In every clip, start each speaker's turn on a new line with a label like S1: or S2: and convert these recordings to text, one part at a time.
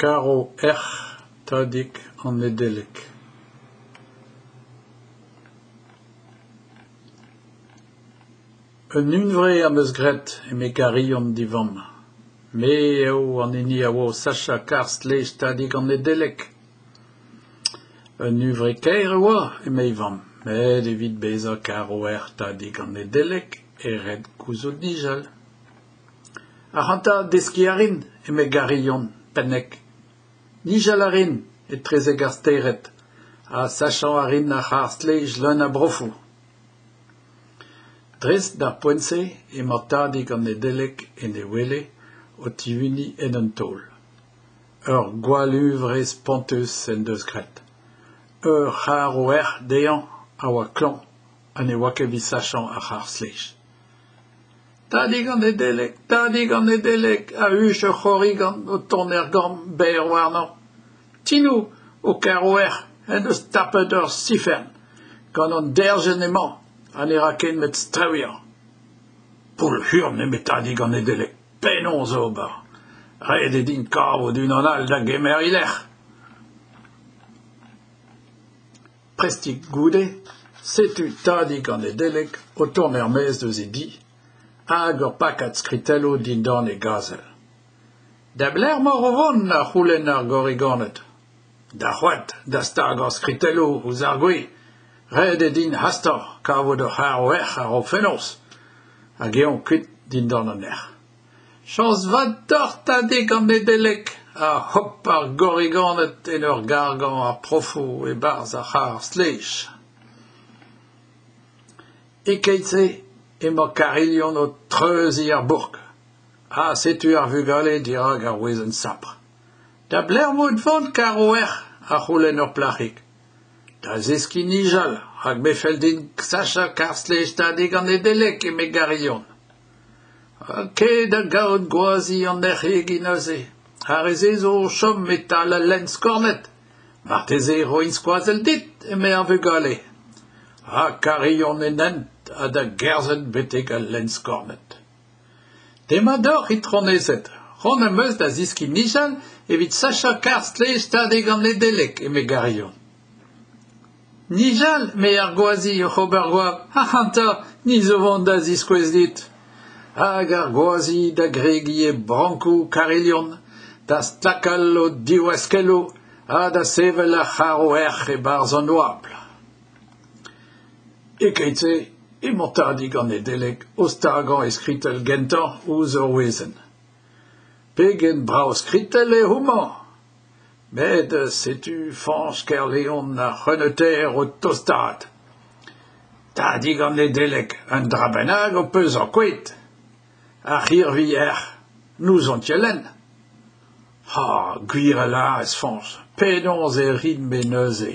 S1: Karv-erc'h Tadig an Nedeleg. Un hunvre am eus graet eme Garion d'e vamm. Me eo an hini a oa o sachañ karr-stlej Tadig an Nedeleg. Un hunvre kaer e oa, eme e vamm, met evit bezañ karv-erc'h Tadig an Nedeleg eo ret gouzout nijal. Ac'hanta, deskiñ a rin, eme Garion, pennek. Nijal a rin etrezek ar stered ha sachañ a rin ar c'harr-stlej leun a brofoù. Dres d'ar poent-se emañ tadig an Nedeleg en e wele o tihuniñ en un taol. Ur gwallhuñvre spontus en deus graet. Ur c'harv-erc'h dezhañ a oa klañv ha ne oa ket evit sachañ ar c'harr-stlej. Tadig an Nedeleg, tadig an Nedeleg, a huch ur c'horrigan o tont er gambr berr warnañ. Tinoù, ho karv-erc'h, en deus tapet ur sifern. Gant an derzhienn emañ ha ne ra ken met strewiañ. Poull-hurn eme tadig an Nedeleg, penaos ober ? Ret eo din kavout unan all da gemer e lec'h. Prestik goude, setu tadig an Nedeleg o tont er-maez eus e di, hag ur pakad skritelloù dindan e gazel. Da belec'h emaoc'h o vont ? a c'houlenn ar gorriganed. D'ar c'hoad da stagañ skritelloù ouzh ar gwez. Ret eo din hastañ kavout ur c'harv-erc'h a-raok fenoz. Hag eñ kuit dindan an erc'h. Chañs vat deoc'h tadig an Nedeleg a hop ar gorriganed en ur gargañ ar profoù e-barzh ar c'harr-stlej. E-keit-se emañ Karilhon o treuziñ ar bourk. Ha setu ar vugale dirak ar wezenn sapr. Da belec'h emañ o vont, Karv-erc'h ? a c'houlenn ur plac'hig. Da zeskiñ nijal, rak me 'fell din sachañ karr-stlej tadig an Nedeleg, eme Garilhon. Kae da gaout gwazi an erc'hegi neuze. Ar re-se zo o chom e-tal al lenn skornet. Marteze e roin skoazell dit, eme ar vugale. Ha Karilhon en hent ha da gerzhet betek al lenn skornet. Demat deoc'h, itronezed. C'hoant am eus da zeskiñ nijal evit sachañ karr-stlej Tadig an Nedeleg, eme Garilhon. Nijal, 'me ar gwazi oc'h ober goap, ac'hanta, ni zo 'vont da ziskouez dit. Hag ar gwazi da gregiñ e brankoù Karilhon, da stlakal o divaskelloù ha da sevel ar c'harv-erc'h e-barzh an oabl. E-keit-se emañ tadig an Nedeleg o stagañ e skritell gentañ ouzh ur wezenn. Pegen brav skritell eo homañ ! Met setu Fañch Kerleon ar c'heuneutaer o tostaat. Tadig an Nedeleg, un dra bennak ho peus ankouaet. Ar c'hirvi-erc'h, n'ouzon ket lenn. Ha gwir a lârez Fañch, penaos e rin-me neuze ?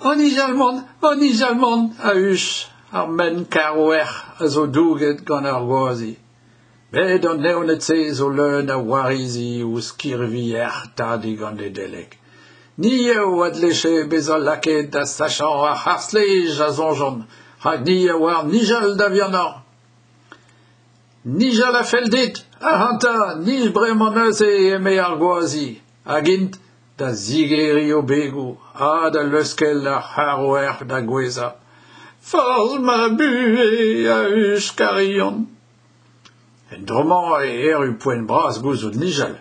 S1: O nijal mont, o nijal mont, a huch ar menn karv-erc'h a zo douget gant ar gwazi. Met an evned-se zo leun a warizi ouzh kirvi-erc'h Tadig an Nedeleg. Ni eo a dleje bezañ lakaet da sachañ ar c'harr-stlej, a soñjont, rak ni a oar nijal da vihanañ. Nijal a fell dit ? Ac'hanta, nij bremañ neuze, eme ar gwazi. Hag int da zigeriñ o begoù ha da leuskel ar c'harv-erc'h da gouezhañ. Forzh ma buhez, a huch Karilhon. En dro-mañ e erru poent bras gouzout nijal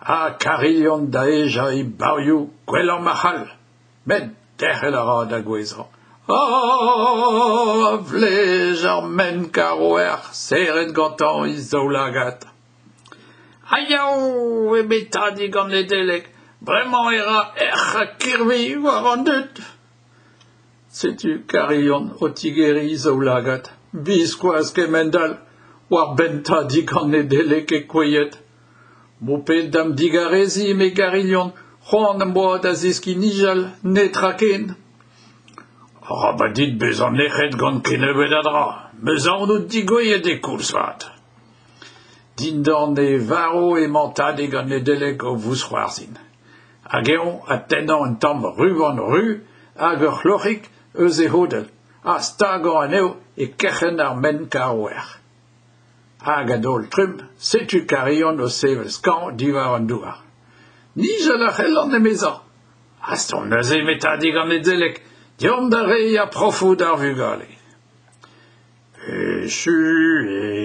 S1: ha Karilhon da hejañ e bavioù gwellañ ma c'hall. Met derc'hel a ra da gouezhañ. A vlej ar menn karv-erc'h serret gantañ e zaoulagad. Aiaou, eme tadig an Nedeleg, bremañ e ra erc'h ha kirvi war an dud. Setu Karilhon o tigeriñ e zaoulagad. Biskoazh kemend-all war benn tadig an Nedeleg e kouezhet. M'ho ped da'm digareziñ, eme Garilhon, c'hoant am boa da zeskiñ nijal, netra ken. Arabat dit bezañ nec'het gant kennebeut a dra, 'm eus aon out degouezhet e koulz vat. Dindan e varv emañ tadig an Nedeleg o vousc'hoarzhin. Hag eñ ha tennañ un tamm ruban ruz hag ur c'hloc'hig eus e c'hodell ha stagañ anezho e kerc'henn ar menn karv-erc'h. Hag a-daol-trumm, setu Karilhon o sevel skañv diwar an douar. Nijal a c'hellan, emezañ. Hastomp neuze, eme tadig an Nedeleg, deomp da reiñ ar profoù d'ar vugale. Echu eo.